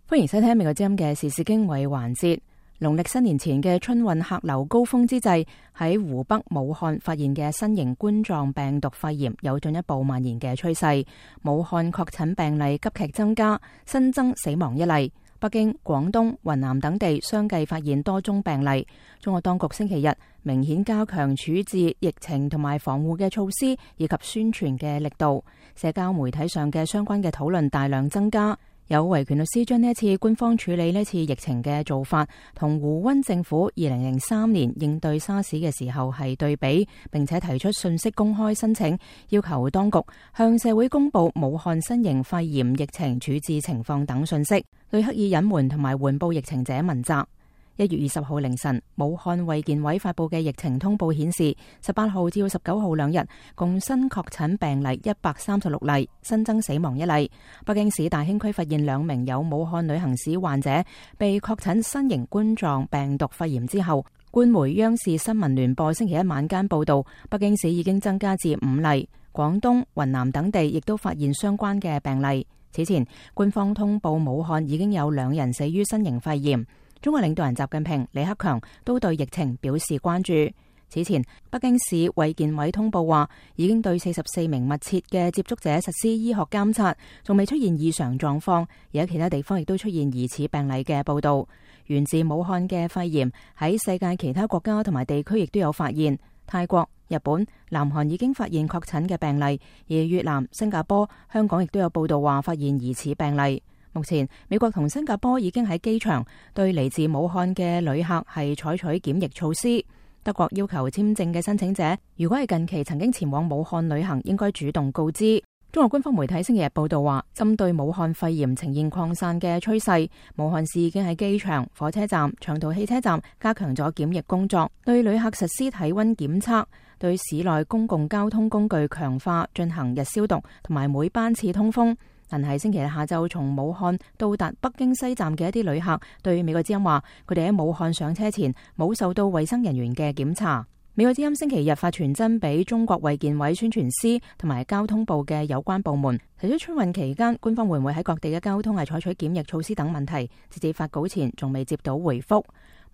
歡迎收聽美國之音嘅時事經緯環節。農曆新年前嘅春運客流高峰之際，喺湖北武漢發現嘅新型冠狀病毒肺炎有進一步蔓延嘅趨勢。武漢確診病例急劇增加，新增死亡1例。北京、廣東、雲南等地相繼發現多宗病例。中國當局星期日明顯加強處置疫情同埋防護嘅措施，以及宣傳嘅力度。社交媒體上嘅相關嘅討論大量增加。有維權律師將呢一次官方處理呢次疫情嘅做法，同胡溫政府2003年應對沙士嘅時候係對比，並且提出信息公開申請，要求當局向社會公布武漢新型肺炎疫情處置情況等信息，對刻意隱瞞同埋緩報疫情者問責。1月20號凌晨，武漢衛健委發佈嘅疫情通報顯示，18號至19號2日共新確診病例136例，新增死亡1例。北京市大興區發現2名有武漢旅行史患者被確診新型冠狀病毒肺炎之後，官媒央視新聞聯播星期一晚間報道，北京市已經增加至5例，廣東、雲南等地亦都發現相關嘅病例。此前，官方通報武漢已經有2人死於新型肺炎。中國領導人習近平、李克強都對疫情表示關注。此前，北京市衛健委通報話，已經對44名密切嘅接觸者實施醫學監察，仲未出現異常狀況。而喺其他地方亦都出現疑似病例嘅報道。源自武漢嘅肺炎喺世界其他國家同埋地區亦都有發現。泰國、日本、南韓已經發現確診嘅病例，而越南、新加坡、香港亦都有報道話發現疑似病例。目前，美國同新加坡已經喺機場對嚟自武漢嘅旅客係採取檢疫措施。德國要求簽證嘅申請者，如果係近期曾經前往武漢旅行，應該主動告知。中國官方媒體星期日報道話，針對武漢肺炎呈現擴散嘅趨勢，武漢市已經喺機場、火車站、長途汽車站加強咗檢疫工作，對旅客實施體溫檢測，對市內公共交通工具強化進行日消毒，同埋每班次通風。但係星期日下晝從武漢到達北京西站嘅一啲旅客對美國之音話，佢哋喺武漢上車前冇受到衛生人員嘅檢查。美國之音星期日發傳真俾中國衛健委宣傳司同埋交通部嘅有關部門，提出春運期間官方會唔會喺各地嘅交通係採取檢疫措施等問題，直至發稿前仲未接到回覆。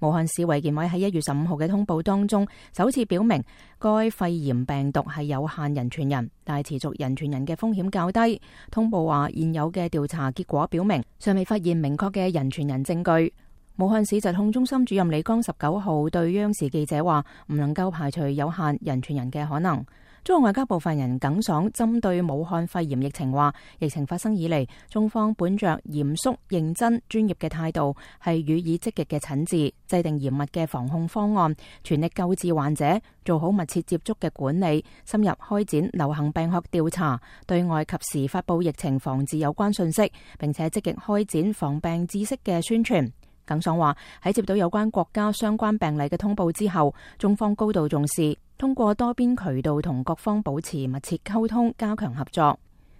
武漢市衛健委喺1月15號嘅通報當中，首次表明該肺炎病毒係有限人傳人，但係持續人傳人嘅風險較低。通報話，現有嘅調查結果表明，尚未發現明確嘅人傳人證據。武漢市疾控中心主任李剛19號對央視記者話，唔能夠排除有限人傳人嘅可能。中國外交部發言人耿爽針對武漢肺炎疫情話，疫情發生以嚟，中方本着嚴肅、認真、專業嘅態度，係予以積極嘅診治，制定嚴密嘅防控方案，全力救治患者，做好密切接觸嘅管理，深入開展流行病學調查，對外及時發布疫情防治有關信息，並且積極開展防病知識嘅宣傳。耿爽話，喺接到有關國家相關病例嘅通報之後，中方高度重視，通過多邊渠道同各方保持密切溝通，加強合作。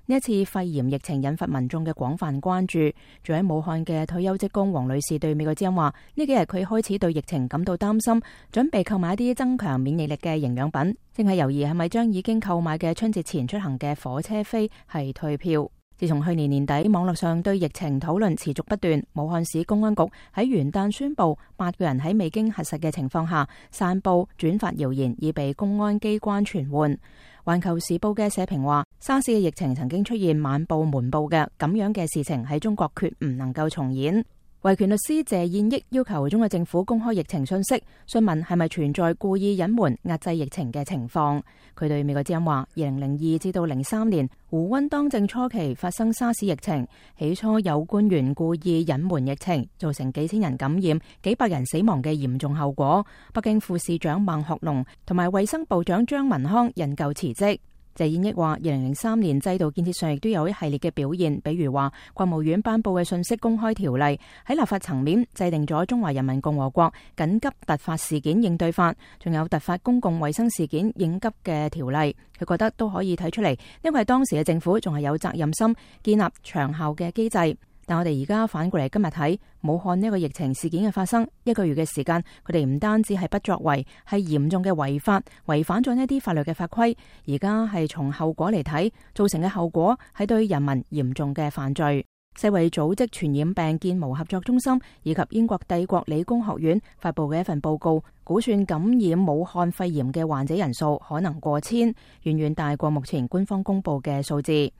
呢一次肺炎疫情引發民眾嘅廣泛關注。住喺武漢嘅退休職工黃女士對美國之音話，呢幾日佢開始對疫情感到擔心，準備購買一啲增強免疫力嘅營養品，正係猶豫係咪將已經購買嘅春節前出行嘅火車飛係退票。自從去年年底，網絡上對疫情討論持續不斷。武漢市公安局喺元旦宣布，8個人喺未經核實嘅情況下散布轉發謠言，已被公安機關傳喚。環球時報嘅社評話，沙士嘅疫情曾經出現晚報瞞報嘅咁樣嘅事情喺中國決唔能夠重演。維權律師謝燕益要求中國政府公開疫情信息，詢問係咪存在故意隱瞞壓制疫情嘅情況。佢對美國之音話，2002至到03年胡溫當政初期發生沙士疫情，起初有官員故意隱瞞疫情，造成幾千人感染、幾百人死亡嘅嚴重後果。北京副市長孟學農同埋衛生部長張文康引咎辭職。謝燕益話，2003年制度建設上亦都有一系列嘅表現，比如話國務院頒布嘅信息公開條例，喺立法層面制定咗《中華人民共和國緊急突發事件應對法》，仲有突發公共衛生事件應急嘅條例。佢覺得都可以睇出嚟，因為當時嘅政府仲係有責任心，建立長效嘅機制。但我哋而家反過嚟今日睇武漢呢個疫情事件嘅發生，1個月嘅時間，佢哋唔單止係不作為，係嚴重嘅違法，違反咗呢啲法律嘅法規。而家係從後果嚟睇，造成嘅後果係對人民嚴重嘅犯罪。世衛組織傳染病建模合作中心以及英國帝國理工學院發佈嘅一份報告，估算感染武漢肺炎嘅患者人數可能過千，遠遠大過目前官方公佈嘅數字。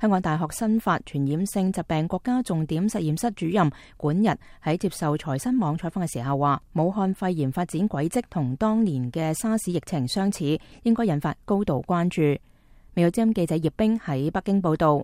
香港大學新發傳染性疾病國家重點實驗室主任管日喺接受財新網採訪嘅時候話，武漢肺炎發展軌跡同當年嘅沙士疫情相似，應該引發高度關注。美國之音記者葉冰喺北京報道。